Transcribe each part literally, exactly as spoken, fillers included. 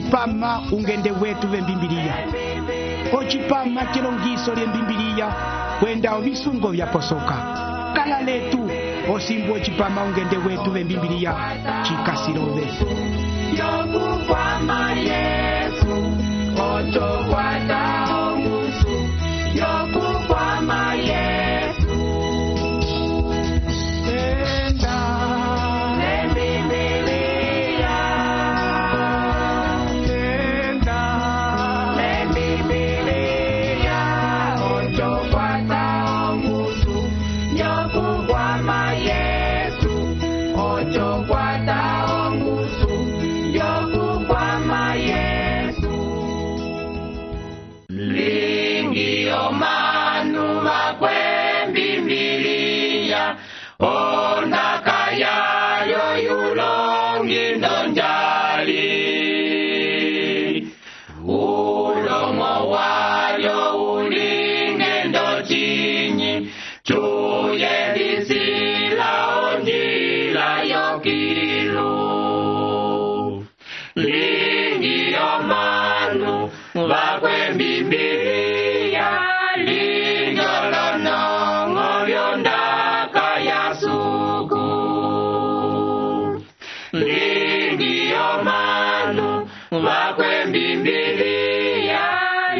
ocipama ungende wetu vembimbiliya, ocipama cilongiso lyembimbiliya kwenda ovisungo vyaposoka. Kala letu osimbu ocipama ungende wetu vembimbiliya cikasirove. Yokukwama Yesu, ochokwata ongusu. Yokukwama Yesu, Enda Lembibiliya, enda Lembibiliya, ochokwata ongusu. Yokukwama Yesu, ochokwata ongusu. Yokukwama Yesu. Lingi omanu bakwembimbiliya, ondaka yayo yulongi ndonjali. Ulomo wayo ulinge ndochinyi, chuye lisila onjila yokilu. Lingi omanu bakwembimbiliya, linjolonongo lyondaka yasuku. Lingi omanu bakwembimbiliya,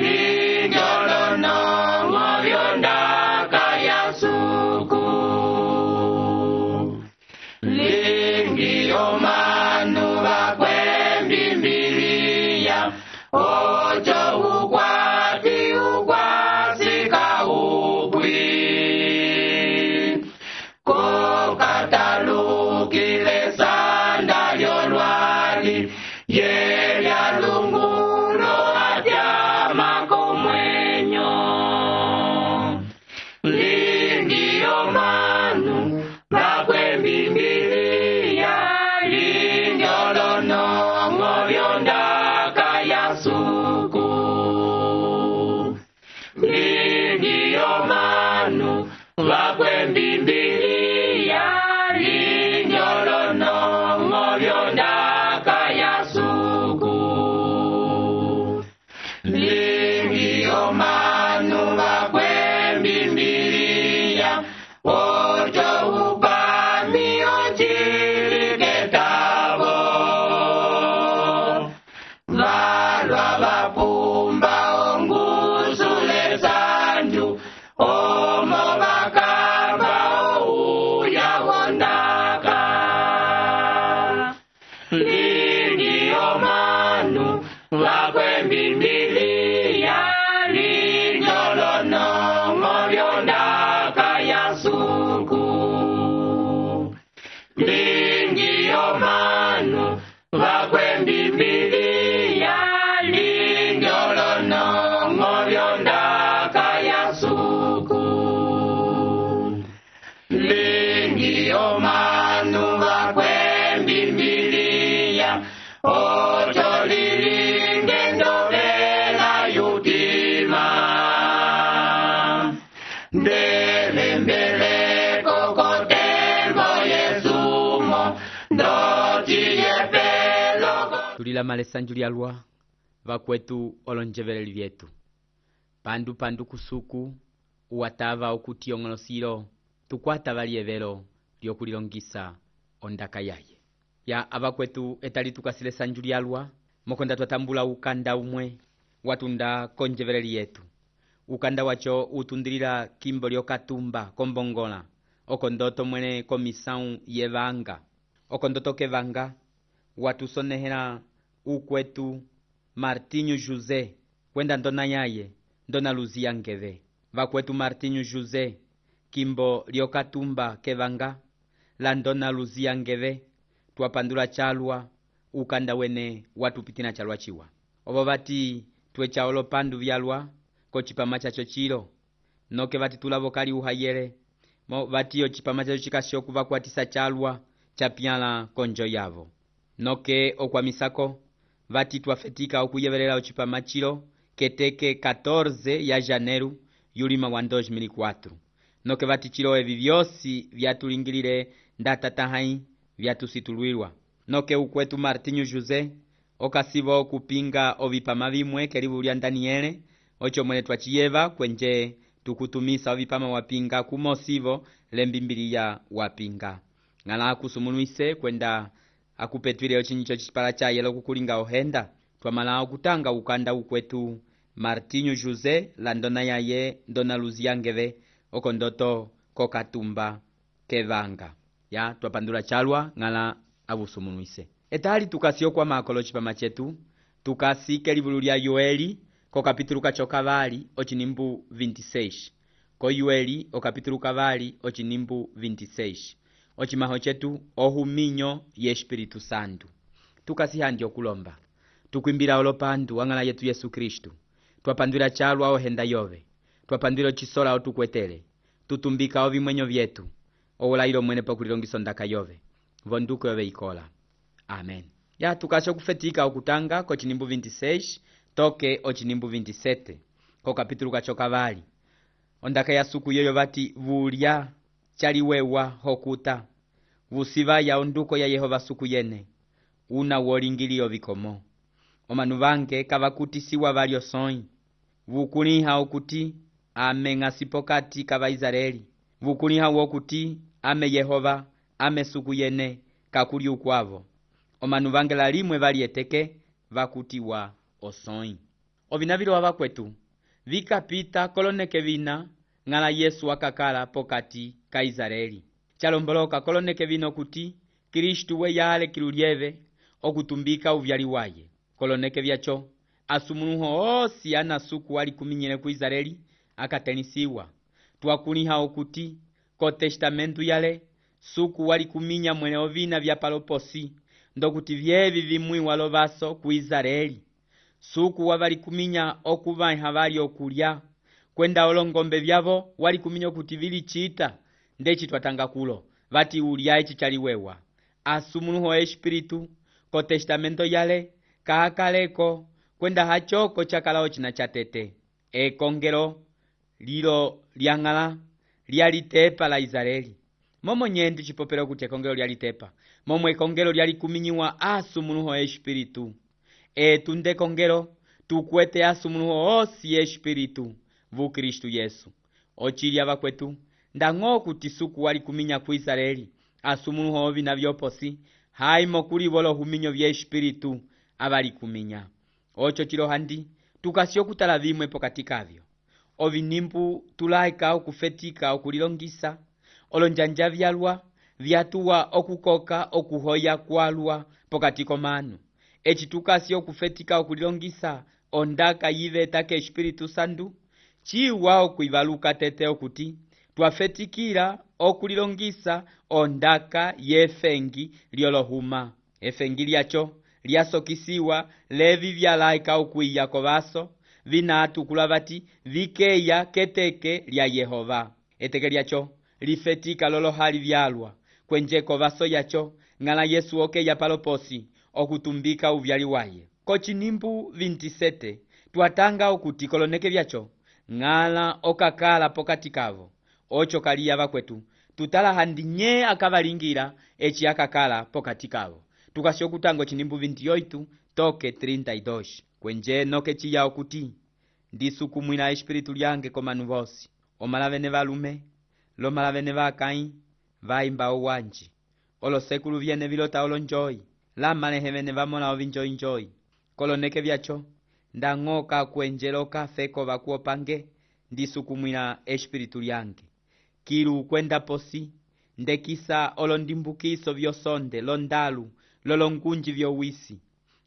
linjolonongo lyondaka yasuku. Lingi omanu bakwembimbiliya, ocho ukwati ukwasika upwi. Kokatalukile sanda lyolwali, yelya lungulo atyama komwenyo. Lingi omanu bakwembimbiliya, linjolonongo lyondaka yasuku. Lingi omanu bakwembimbiliya, linjolonongo lyondaka yasuku. Lingi omanu bakwembimbiliya, ocho upami ochiliketavo. Valwa vapumba ongusule sanju, omo bakamba ouya wondaka. Lingi omanu bakwembimbiliya, linjolonongo lyondaka yasuku. Lingi omanu bakwembimbiliya, linjolonongo lyondaka yasuku. Lingi omanu bakwembimbiliya, ocho lilinge ndovela yutima. Ndelembeleko kotembo yesumo, ndociyepelo. Tulilama lesanju lyalwa vakwetu olonjeveleli vyetu pandu pandu kusuku uwatava okuti ong'olosilo tukwata valyevelo lyokulilongisa ondaka yaye ya avakwetu etali tukasile sanju lyalwa mokonda twatambula ukanda umwe watunda konjeveleli yetu. Ukanda wacho utundilila kimbo lyokatumba kombongola okondoto mwene komisau yevanga okondoto kevanga watusonehela ukwetu Martinho José kwenda ndona yaye ndona Luzia ngeve vakwetu Martinho José kimbo lyokatumba kevanga la ndona Luzia ngeve twapandula chalwa ukanda wene watupitina chalwa chiwa ovo vati twecha olopandu vyalwa kochipama chacho chilo noke vati tulavokali uhayele mo vati yo chipama chacho chikashoku vakwatisa chalwa chapyala konjo yavo noke okwamisako vati twafetika okuyevelela ochipama chilo keteke catorze ya janeiro yulima wa dois mil e quatro noke vati chilo evi vyosi vyatulingilile ndatata hai vyatusitulwilwa noke ukwetu Martinho José okasivo kupinga ovipama vimwe kelivu lya Daniele ocho mwene twachiyeva kwenje tukutumisa ovipama wapinga kumosivo lembimbiliya wapinga ngala akusumunuise kwenda akupetwile ochinyicho chipala chaye lokukulinga ohenda twamala okutanga ukanda ukwetu Martinho José la ndona yaye ndona Luziangeve okondoto kokatumba kevanga ya twapandula chalwa ngala abusumunuise etali tukasio kwa makolo chipama chetu tukasi kelivulu lya Yoeli ko kapitulu kacho kavali ochinimbu vinte e seis ko Yoeli o kapitulu kavali ochinimbu vinte e seis ochimaho chetu ohuminyo ye Espiritu Santo tukasi handi okulomba tukwimbira olopandu wangala yetu Yesu Kristu twapandwila chalwa ohenda yove twapandwila chisola otukwetele tutumbika ovimwenyo vyetu owulailo mwene pokulilongiso ndaka yove vonduko yove ikola amen ya tukasho kufetika okutanga ko chinimbu vinte e seis toke ochinimbu vinte e sete ko kapitulu kacho kavali ondaka ya suku yoyo vati vulya chaliwewa hokuta vusiva ya onduko ya Yehova suku yene una wolingilio vikomo omanu vange kavakutisiwa valyo soi vukuliha okuti ame ng'asipokati kava Israeli vukuliha wokuti ame Yehova ame suku yene kakuli ukwavo omanu vange lalimwe valieteke vakutiwa osoi ovinavilo wava kwetu vikapita koloneke vina ngala Yesu akakala pokati ka Israeli chalomboloka koloneke vino kuti Kristu we yale kilulieve okutumbika uvyali waye koloneke vyacho asumunuho osi ana suku wali kuminyele ku Israeli akatenisiwa twakuliha okuti ko testamentu yale suku wali kuminya mwene ovina vya paloposi ndokuti vyevi vimwi walovaso ku Israeli suku wavali kuminya okuva vali okulya kwenda olongombe vyavo wali kuminya kuti vili chita ndechi twatanga kulo vati ulya ichi chaliwewa asumunuho Espiritu ko testamento yale kaakaleko kwenda hachoko chakalao china chatete ekongelo lilo lyangala lyalitepa la Israeli momo nyendu chipopero kuti ekongelo lyalitepa momo ekongelo lyali kuminyiwa asumunuho Espiritu etunde kongelo tukwete asumunuho osi Espiritu vu Kristu Yesu ochilya vakwetu ndang'o kuti suku wali kuminya ku Israeli asumunuho ovina vyoposi haimo kuli volo huminyo vya Espiritu avali kuminya ocho chilo handi tukasio kutala vimwe pokati kavyo ovinimbu tulaika okufetika okulilongisa olonjanja vyalwa vyatuwa okukoka okuhoya kwalwa pokati komanu echi tukasio okufetika okulilongisa ondaka yiveta ke Espiritu Santu chiwa okuivaluka tete okuti twafetikira okulilongisa ondaka yefengi lyolohuma efengi lyacho lyasokisiwa levi vyalaika okwiya kovaso vinatukula vati vikeya keteke lya Yehova eteke lyacho lifetika lolohali vyalwa kwenje kovaso yacho ngala Yesu okeya paloposi okutumbika uvyali waye kochinimbu vinte e sete twatanga okuti koloneke vyacho ngala okakala pokati kavo ocho kaliya vakwetu tutala handi nye akavalingira echi akakala pokati kavo tukasio kutango chinimbu vinte e oito toke trinta e dois kwenje noke chiya okuti ndisukumwila Espiritu lyange komanu vosi omalavene valume lomalavene vakai vaimba owanji olosekulu vyene vilota olonjoi lamalehevene vamona ovinjoinjoi koloneke vyacho ndang'oka kwenjeloka feko vakuopange ndisukumwila Espiritu lyange kilu kwenda posi ndekisa olondimbukiso vyosonde londalu lolongunji vyowisi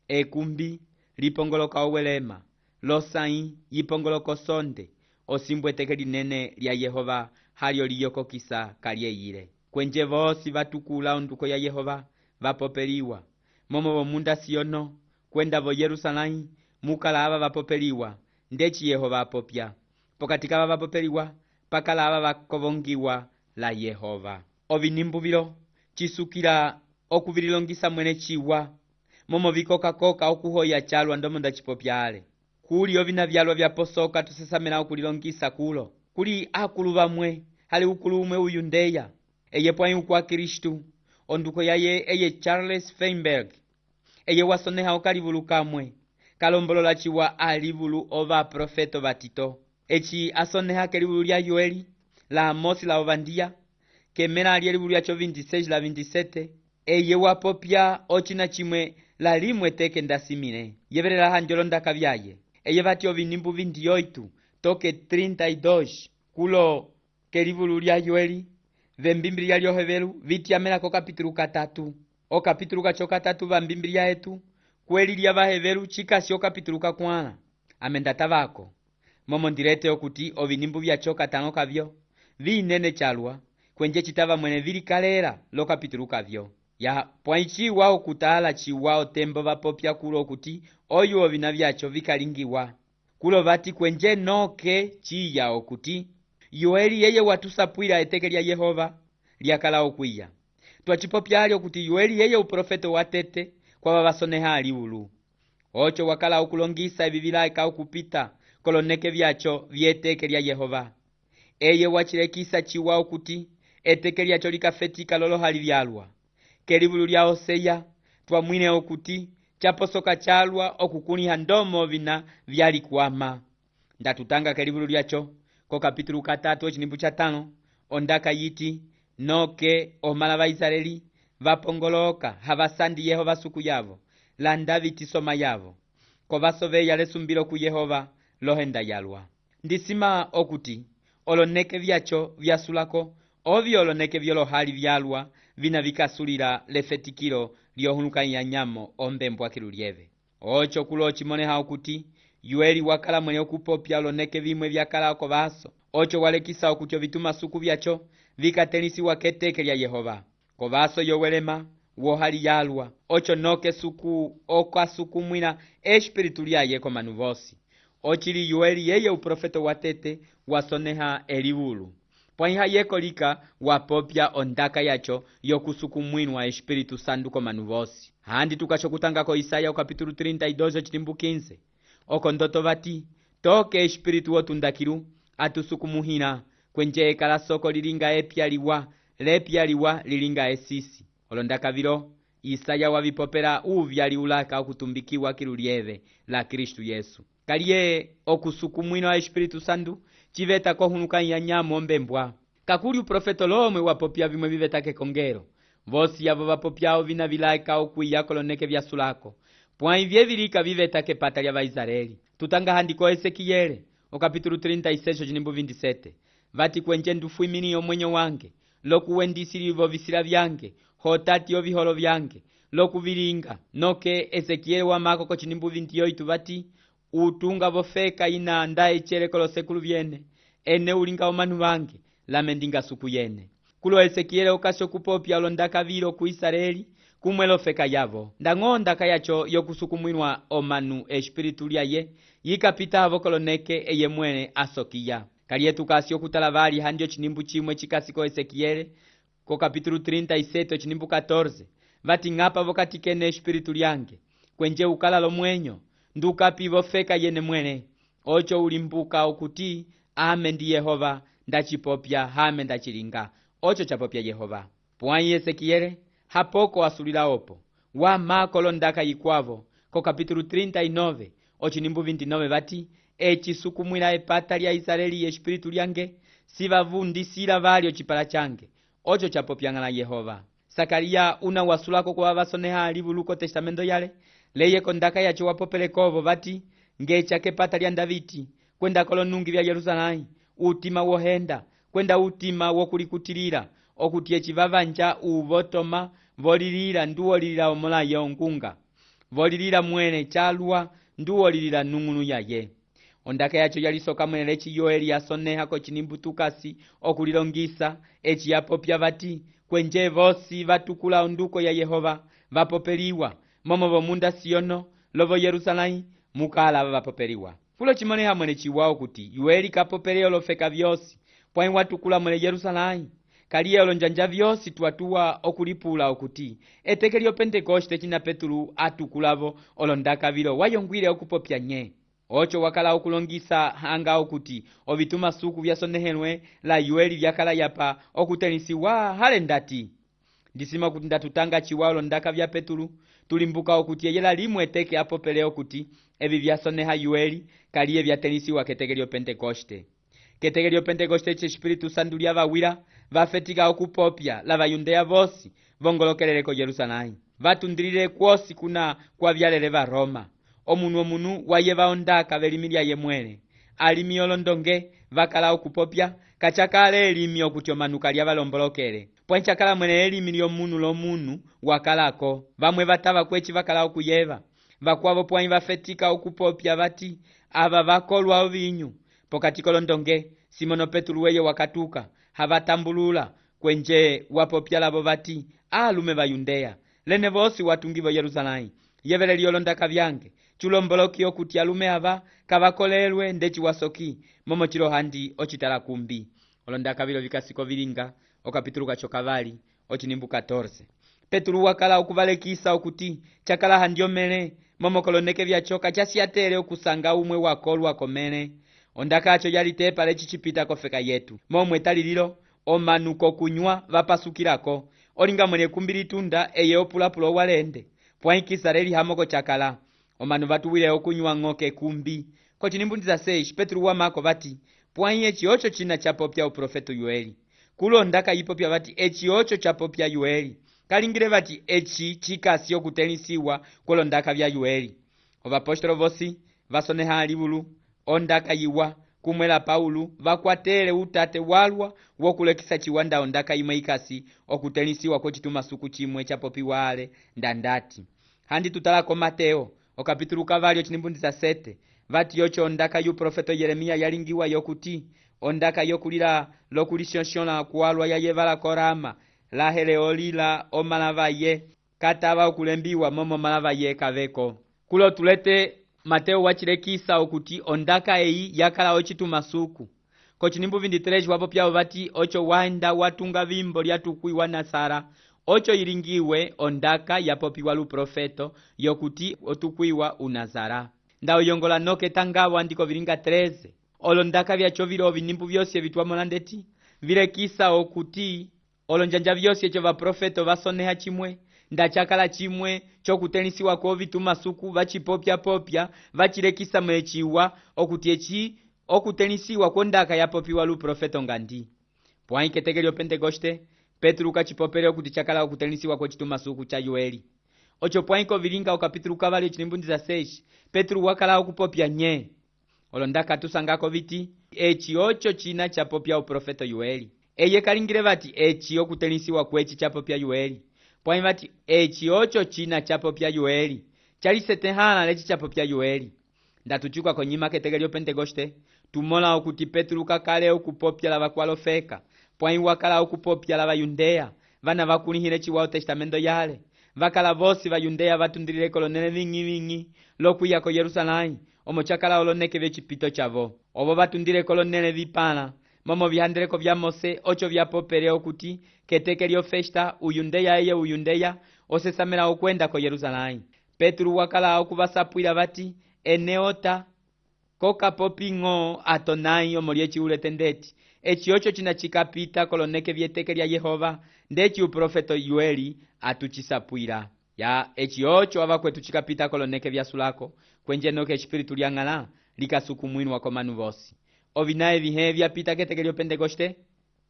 ekumbi lipongoloka owelema losai yipongoloko sonde osimbweteke linene lya Yehova halyo liyokokisa kalyeyile kwenje vosi vatukula onduko ya Yehova vapopeliwa momo vomunda siono kwenda vo Yerusalai mukalava vapopeliwa ndechi Yehova apopya pokati kava vapopeliwa pakalava vakovongiwa la Yehova ovinimbu vilo chisukila okuvililongisa mwene chiwa momo vikokakoka okuhoya chalwa ndomo ndachipopyale kuli ovina vyalwa vyaposoka tusesamela okulilongisa kulo kuli akulu vamwe hali ukulu umwe uyu ndeya eye pwai ukwa Kristu onduko yaye eye Charles Feinberg eye wasoneha okalivulu kamwe kalombolola ciwa alivulu ova profeto vatito eci asoneha kelivulu lya Yoeli la Amosi la Ovandia kemela ali elivulu lyaco vinte e seis la vinte e sete eye wapopya ocina cimwe la limwe teke ndasimile yevelela hanjolo ndaka vyaye eye vati ovinimbu vinte e oito toke trinta e dois kulo kelivulu lya Yoeli vembimbilia lyohevelu vitiamela ko kapitulu katatu o kapitulu kaco katatu vambimbilia etu kweli lya vahevelu cikasi o kapitulu kakwãla amenda vako momo ndirete okuti ovinimbu vyaco katano kavyo vinene calwa kwenje citava mwene vilikalela lo kapitulu kavyo ya pwãyi ciwa okutala ciwa otembo vapopya kulo okuti oyu ovina vyaco vikalingiwa kulo vati kwenje noke ciya okuti Yoeli yeye watusapwila eteke lya Yehova lyakala okwiya twacipopya ali okuti Yoeli yeye uprofeto watete kwa vavasoneha alivulu oco wakala okulongisa evi vilaika okupita koloneke vyaco vyeteke lya Yehova eye wacilekisa ciwa okuti eteke lyaco likafetika lolo hali vyalwa kelivulu lya Hoseya twamwine okuti caposoka calwa okukuliha ndomo vina vyalikwama ndatutanga kelivulu lyaco ko kapitulu katatu ocinimbu ca tano ondaka yiti noke omala vaisraeli vapongoloka havasandi Yehova suku yavo landa vitisoma yavo ko vasoveya lesumbilo ku Yehova lohenda yalwa ndisima okuti oloneke vyaco vyasulako ovyo oloneke vyolohali vyalwa vina vikasulila lefetikilo lyohulukanya nyamo ombembwa kilulieve oco kulo ocimoneha okuti Yoeli wakala mwene okupopya oloneke vimwe vyakala oko vaso oco walekisa okuti ovituma suku vyaco vikatelisiwa keteke lya Yehova ko vaso yowelema wohali yalwa oco noke suku okasukumwila espiritu lyaye komanu vosi ocili Yoeli yeye uprofeto watete wasoneha elivulu pwãyiha yekolika wapopya ondaka yaco yokusukumwinwa espiritu sandu komanu vosi handi tukaco kutangako Isaya okapitulu trinta e dois ocilimbu quinze oko ndoto vati toke espiritu wotundakilu atusukumuhina kwenje ekala soko lilinga epyaliwa lepyaliwa lilinga esisi olondaka vilo Isaya wavipopela uvyali ulaka okutumbikiwa kilulieve la Kristu Yesu kaliye okusukumwinwa espiritu sandu civeta kohulukanya nyamo ombembwa kakuli uprofeto lomwe wapopya vimwe vivetake kongelo vosi yavo vapopyao vina vilaika okwiya koloneke vyasulako pwãyi vyevilika vivetake pata lya vaisraeli tutanga handiko Esekiyele okapitulu trinta e seis ocinimbu vinte e sete vati kwenje ndufwimini omwenyo wange lokuwendisilivo visila vyange hotati oviholo vyange lokuvilinga noke Esekiyele wamako kocinimbu vinte e oito vati utunga vofeka ina anda ecele kolosekulu vyene ene ulinga omanu vange lame ndinga suku yene kulo Esekiyele okasi okupopya olondaka vilo ku Israeli kumwe lofeka yavo ndang'ondaka yaco yokusukumwinwa omanu espiritu lyaye yikapitavo koloneke eye mwene asokiya kaliye tukasi okutala vali handi ocinimbu cimwe cikasi ko Esekiyele ko kapitulu trinta e sete ocinimbu catorze vati ng'apa vokati kene espiritu lyange kwenje ukala lomwenyo ndukapivo feka yene mwene oco ulimbuka okuti ame ndi Yehova ndacipopya hame ndacilinga oco capopya Yehova pwãyi Esekiyele hapoko asulila opo wamako londaka yikwavo ko kapitulu trinta e nove ocinimbu vinte e nove vati ecisukumwila epata lya Israeli espiritu lyange sivavundisila vali ocipala cange oco capopyang'ala Yehova Sakariya una wasulako kwa vasoneha alivulu ko testamento yale leye kondaka yaco wapopelekovo vati ngeca kepata lya Daviti kwenda kolonungi vya Yerusalemu utima wohenda kwenda utima wokulikutilila okuti ecivavanja uvotoma volilila nduwolilila omolaye ongunga volilila mwene calwa nduwolilila nung'unu yaye ondaka yaco yalisoka mwene leci Yoeli asoneha kocinimbu tukasi okulilongisa eci yapopya vati kwenje vosi vatukula onduko ya Yehova vapopeliwa momo vomunda Siono lovo Yerusalemu mukala vapopeliwa kulo cimoneha mwene ciwao kuti Yoeli kapopele olofeka vyosi pwãyi watukula mwene Yerusalemu kaliye olonjanja vyosi twatuwa okulipula okuti eteke lyo Pentekoste cina Petulu atukulavo olondaka vilo wayongwile okupopya nye oco wakala okulongisa hanga okuti ovituma suku vyasonehelwe la Yoeli vyakala yapa okutenisiwa hale ndati ndisima okuti ndatutanga chiwalo ndaka vya Petulu tulimbuka okuti eyela limwe teke apopele okuti evi vyasoneha yueli kaliye vyatenisiwa keteke lyo Pentekoste. Keteke lyo Pentekoste che Espiritu Santo lyavawira vafetika okupopya la vayundeya vosi vongolokelele ko Yerusalemu vatundilile kwosi kuna kwa vyalele va Roma omunu omunu waye vaondaka velimi lya yemwele alimi olondonge vakala okupopya kachakale elimi okuti omanuka lyavalombolokele pwenchakala mwene elimi lyomunu lomunu wakalako vamwe vatava kwechi vakala okuyeva vakwavo pwanyi vafetika okupopya vati ava vakolwa ovinyu pokati kolondonge Simono Petulu weye wakatuka havatambulula kwenje wapopya lavo vati alume vayundeya lene vosi watungivo Yerusalemu yevele lyolondaka vyange chulomboloki okuti alume ava kavakolelwe ndechi wasoki momo chilo handi ochitala kumbi olondaka vilo vikasiko vilinga okapitulu kacho kavali ochinimbu catorce. Petulu wakala okuvalekisa okuti chakala handiomele momo koloneke vyachoka chasiatele okusanga umwe wakolwa komele ondaka acho yalitepa lechi chipita kofeka yetu momwe talililo omanuko kunywa vapasukilako olinga mwene kumbili tunda eye opulapulo walende pwaikisa leli hamoko chakala omanu vatuwile okunywa ng'oke kumbi kochinimbundiza seis Petulu wamako vati pwai echi ocho china chapopya uprofeto yueli kulondaka yipopya vati echi ocho chapopya yueli kalingile vati echi chikasi okutenisiwa kulondaka vya yueli ovapostolo vosi vasoneha alivulu ondaka yiwa kumwela Paulu vakwatele utate walwa wokulekisa chiwanda ondaka imwe ikasi okutenisiwa ko chituma suku chimwe chapopiwa ale ndandati handi tutalako Mateo okapitulu kavali ochinimbundiza sete vati yocho ondaka yu profeto Yeremia yalingiwa yokuti ondaka yokulila lokulishonshona kualwa ya yevala korama la heleolila omalava ye katava okulembiwa momo malava ye kaveko kulo tulete Mateo wachilekisa okuti ondaka eyi yakala ochituma suku kochinimbu vinditreji wapo pyao vati ocho wanda watunga vimbo lyatukuiwa Nasara ocho ilingiwe ondaka yapopiwa lu profeto yokuti otukuiwa unazara ndao yongola noke tangawa ndiko vilinga treze olondaka vyacho vilo vinimbu vyosi vitwamo ndeti vilekisa okuti olonjanja vyosi echo va profeto vasoneha chimwe ndachakala chimwe chokutenisiwa ko vituma suku vachipopya popya vachilekisa mwechiwa okuti echi okutenisiwa kondaka yapopiwa lu profeto ngandi pwai keteke lyo Pentekoste Petulu kachipopele okuti chakala okutenisiwa ko chituma suku cha yueli ocho pwai ko vilinga okapitulu kavali chinimbundiza seis Petulu wakala okupopya nye olondaka tusangako viti echi ocho china chapopya uprofeto yueli eye kalingile vati echi okutenisiwa kwechi chapopya yueli pwai vati echi ocho china chapopya yueli chalisetehala lechi chapopya yueli ndatuchuka konyima keteke lyo Pentekoste tumola okuti Petulu kakale okupopya lava kwalofeka pwai wakala okupopya lava yundeya vana vakulihile chiwao testamento yale vakala vosi vayundeya vatundilile kolonele ving'i ving'i lokuya ko Yerusalemu omo chakala oloneke vechipito chavo ovo vatundile kolonele vipala momo vihandeleko vya Mose ocho vyapopele okuti keteke lyo festa uyundeya eye uyundeya osesamela okwenda ko Yerusalemu Petulu wakala okuvasapwila vati eneota kokapoping'o atonai omo lyechi uletendeti echi ocho china chikapita koloneke vyeteke lya Yehova ndechi uprofeto yueli atuchisapwila ya echi ocho avakwetu chikapita koloneke vyasulako kwenje noke espiritu lyang'ala likasukumwinwa komanu vosi ovinaye vihe vyapita keteke lyo Pentekoste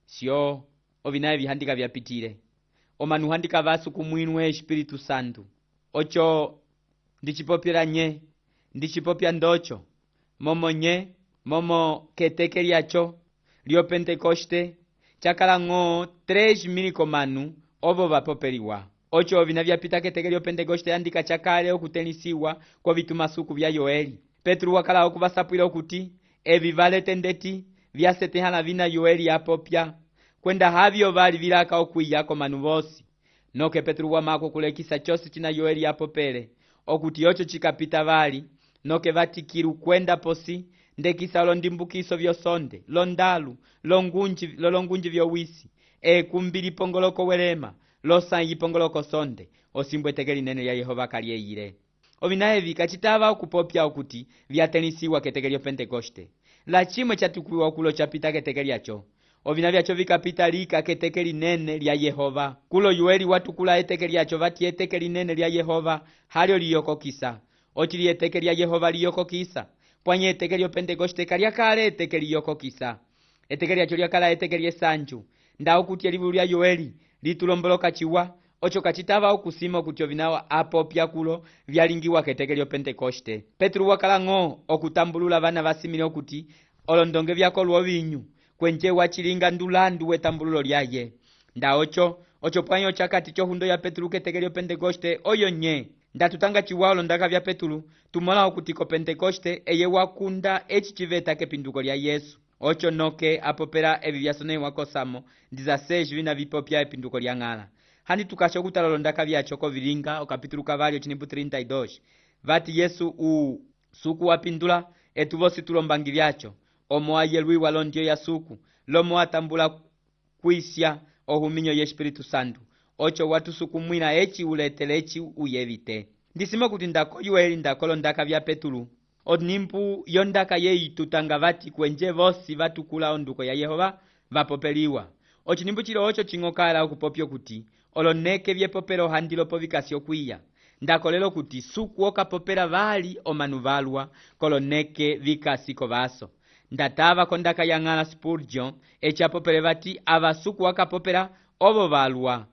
sio ovinaye vihandika vyapitile omanu handika vasukumwinwe espiritu santu ocho ndichipopyela nye ndichipopya ndocho momo nye momo keteke lyacho lyo Pentekoste chakala ng'o tres mil komanu ovo vapopeliwa ocho ovina vyapita keteke lyo Pentekoste andika chakale okutenisiwa kwa vituma suku vya Yoeli Petulu wakala okuvasapwila okuti evi valetendeti vyasetehala vina Yoeli apopya kwenda havyo vali vilaka okwiya komanu vosi noke Petulu wamako kulekisa chosi china Yoeli apopele okuti ocho chikapita vali noke vatikilu kwenda posi ndekisa olondimbukiso vyosonde londalu longunji lolongunji vyowisi e kumbili pongoloko welema losanyi pongoloko sonde osimbwe teke linene lya Yehova kaliyeyile ovinaye vikachitava okupopya okuti vyatenisiwa keteke lyo Pentekoste la chimwe chatukuiwa kulo chapita keteke lyacho ovina vyacho vikapita lika keteke linene lya Yehova. Kulo Yoeli watukula eteke lyacho vati eteke linene lya Yehova halyo liyokokisa. Ochili eteke lya Yehova liyokokisa. Pwanye eteke lyo Pentekoste kalyakale eteke liyokokisa. Eteke lyacho lyakala eteke lyesanju. Ndawo kuti elivu lya Yoeli litulomboloka chiwa. Ocho kachitava okusima okuti ovinawa apopya kulo vyalingiwa keteke lyo Pentekoste. Petro wakala ng'o okutambulula vana vasimile okuti olondonge vyako lwovinyu kwenje wachilinga ndulandu wetambululo lyaye. Nda ocho ocho pwanyo chakati chohundo ya Petro keteke lyo Pentekoste oyo nye. Nda tutanga chiwa olondaka vya Petro tumola okuti ko Pentekoste eye wakunda echi chiveta kepinduko lya Yesu. Ocho noke apopera evi vyasonewa kosamo dizaseji vina vipopya epinduko lya ng'ala. Hani tukasho kutalolondaka vyacho kovilinga okapitulu kavalyo chinipu thelathini na mbili. Vati Yesu u suku wapindula etuvosi tulombangi vyacho. Omo ayelwiwa londio ya suku. Lomo atambula kuisya ohuminyo ye Espiritu Santu. Ocho watu suku mwina echi uletele echi uyevite. Ndisimo kuti ndako Yoeli ndako londaka vya Petulu. Onimpu yondaka yeyi tutanga vati kwenje vosi vatukula onduko ya Yehova vapopeliwa. Ochinimbu chilo ocho chingokala okupopyo kuti oloneke vyepopero handilo povikasyo kwiya. Ndako lelo kuti suku okapopera vali omanu valwa koloneke vikasiko vaso. Ndatava kondaka ya ng'ala Spurgeon echapopere vati avasuku wakapopera ovo valwa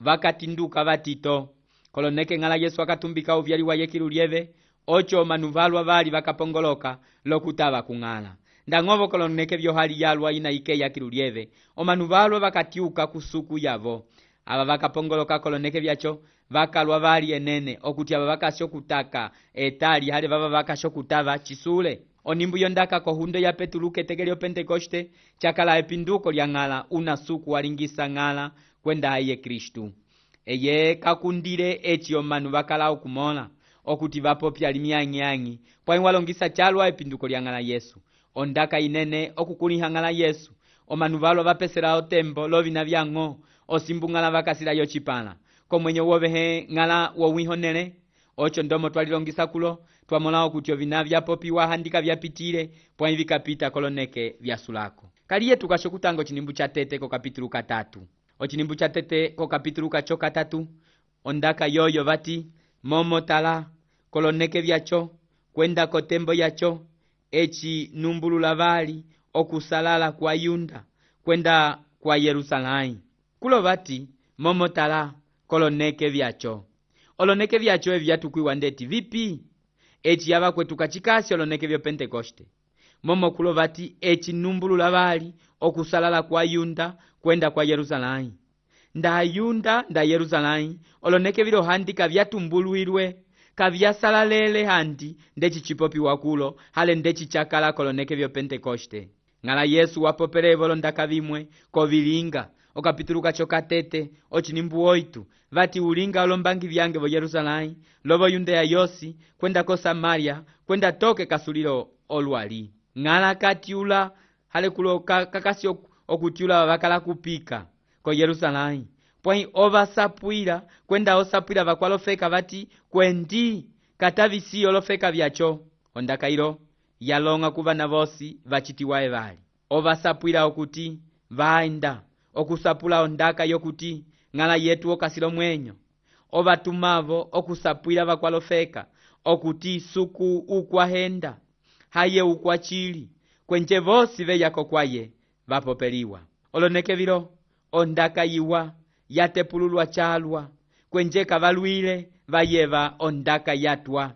vakatinduka vatito. Koloneke ng'ala Yesu akatumbika uvyali wa yekilu lieve ocho omanu valwa vali vakapongoloka lokutava kung'ala. Ndang'ovo koloneke vyohali yalwa ina ike yakilu lieve omanu valwa vakatiuka kusuku yavo. Ava vakapongoloka koloneke vyacho vakalwa vali enene okuti ava vakasyo kutaka etali hali vava vakasyo kutava chisule. Onimbu yondaka kohundo ya Petulu keteke lyo Pentekoste chakala epinduko lya ng'ala una suku walingisa ng'ala kwenda aye Kristu. Eye kakundile echi omanu vakala okumola okuti vapopya limyanyanyi pwa walongisa chalwa epinduko lya ng'ala Yesu. Ondaka inene okukuliha ng'ala Yesu. Omanu valwa vapesera otembo lovina vyang'o osimbu ng'ala vakasila yo chipala. Komwenye wovehe ng'ala wowihonele. Ocho ndomo twalilongisa kulo twamola okuti ovina vyapopiwa handika vyapitile pwa vikapita koloneke vyasulako. Kaliye tukasho kutango chinimbu cha tete ko kapitulu katatu. Ochinimbu cha tete ko kapitulu kacho katatu. Ondaka yoyo vati momotala koloneke vyacho kwenda kotembo yacho echi numbulula vali okusalala kwa Yunda kwenda kwa Yerusalai. Kulo vati momotala koloneke vyacho. Oloneke vyacho evi vyatukuiwa ndeti vipi? Echi yava kwetu kachikasi oloneke vyo Pentekoste. Momo kulo vati echi numbulula vali okusalala kwa Yunda kwenda kwa Yerusalai. Nda Yunda nda Yerusalai oloneke vilo handika vyatumbuluirwe kavyasalalele handi ndechi chipopi wakulo hale ndechi chakala koloneke vyo Pentekoste. Ng'ala Yesu wapopere volondaka vimwe kovilinga okapitulu kacho katete ochinimbu oitu vati ulinga olombangi vyange vo Yerusalai lovo Yudea yosi kwenda ko Samaria kwenda toke kasulilo olwali. Ng'ala katiula hale kulo kakasi okutiula vakala kupika ko Yerusalai pwai ovasapwira kwenda osapwira vakwalofeka vati kwendi katavisi olofeka vyacho. Ondaka ilo yalonga kuvana vosi vachitiwae vali ovasapwira okuti vaenda okusapula ondaka yokuti ng'ala yetu okasilo mwenyo. Ovatumavo okusapwira vakwalofeka okuti suku ukwahenda haye ukwachili kwenje vosi veyako kwaye vapopeliwa. Oloneke vilo ondaka yiwa yatepululwa chalwa kwenje kavalwile vayeva ondaka yatwa.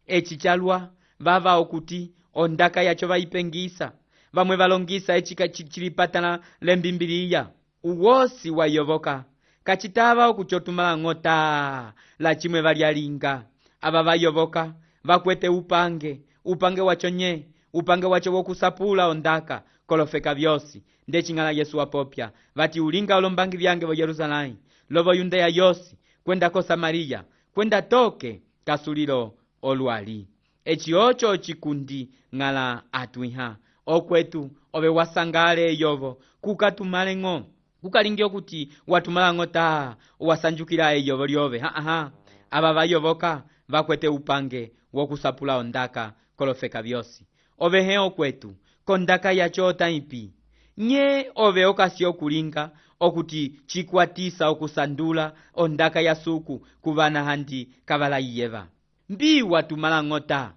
Echi chalwa vava okuti ondaka yacho vaipengisa vamwe valongisa echi kachilipatana lembimbiliya uwosi wayovoka kachitava okuchotumala ng'ota la chimwe valyalinga. Ava vayovoka vakwete upange upange wacho nye upange wacho wokusapula ondaka kolofeka vyosi ndechi ng'ala Yesu wapopya vati ulinga olombangi vyange vo Yerusalai lovo Yudea yosi kwenda ko Samaria kwenda toke kasulilo olwali. Echi ocho chikundi ng'ala atwiha okwetu ove wasangale yovo kukatumale ng'o kukalingi okuti watumala ng'ota wasanjukila eyovo lyove. Ha ha aba vayovoka vakwete upange wokusapula ondaka kolofeka vyosi. Ovehe okwetu kondaka yacho otaipi nye ove okasi okulinga okuti chikwatisa okusandula ondaka ya suku kuvana handi kavalaiyeva. Mbii watumala ng'ota,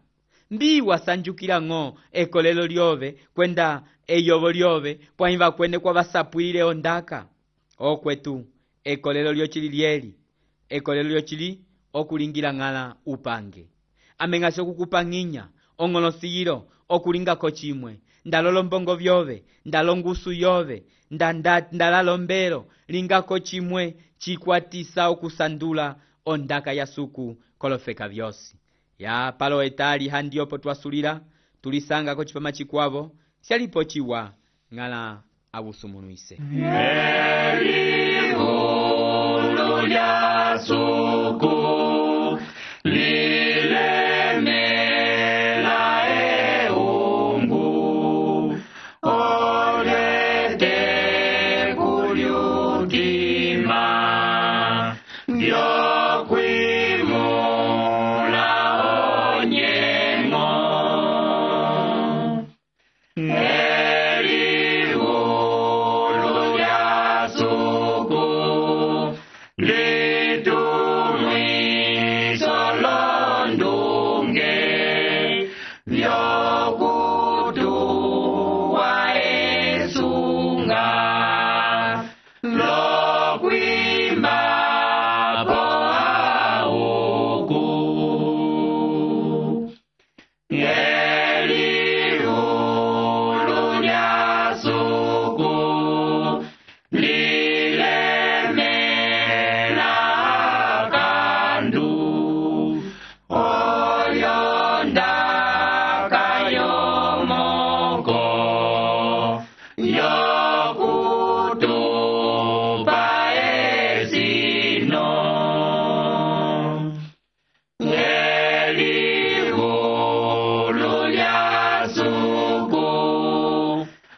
mbii wasanjukila ng'o ekolelo lyove kwenda eyovo lyove pwaimva kwene kwa vasapwile ondaka. Okwetu ekolelo lyochili lyeli, ekolelo lyochili okulingila ng'ala upange. Ameng'asi okukupang'inya ong'olosiyilo okulingako chimwe, ndalolo mbongo vyove, ndalongusu yove, ndanda ndalalombelo lingako chimwe chikwatisa okusandula ondaka ya suku kolofeka vyosi. Ya palo etali handi opo twasulila tulisanga ko chipama chikwavo syalipo chiwa ng'ala abusumunuise. Eliulu lya suku lilemela eungu olete kulyutima vyokwimula onyengo. Eliulu lya suku litumwiso londunge vyokutuwa esunga lokwimba po auku. Eliulu lya suku lilemela kandu oyondaka yomoko yokutupa esino. Eliulu lya suku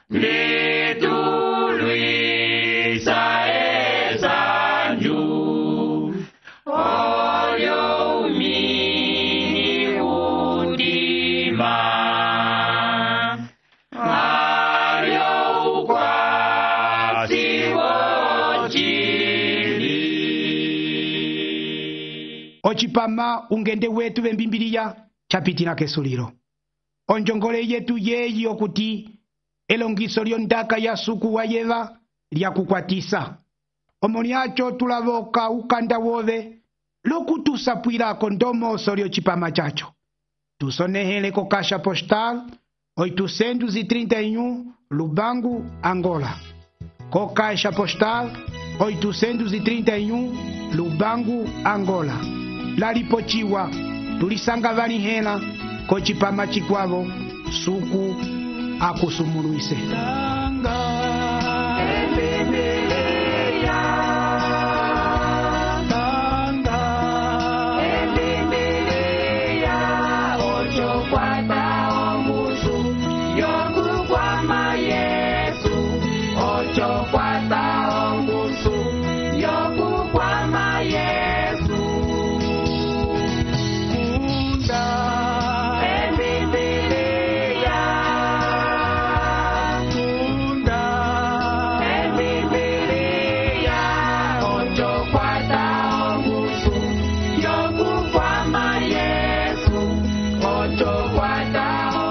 litulwisa esanju olyo umini udima alyo ukwasi wochili. Ochipama ungende wetu vembimbiliya chapitina kesulilo. Onjongole yetu yeyi okuti elongiso lyondaka ya suku wayeva lyakukwatisa. Omoniacho tulavoka ukanda wove lokutusapwilako ndomoso lyochipama chacho. Tusonehele ko Caixa Postal oitocentos e trinta e um Lubango, Angola. Co Caixa Postal oitocentos e trinta e um Lubango, Angola. Lalipochiwa tulisanga vanihela ko chipama chikwavo suku akusumunuise. Ocho guarda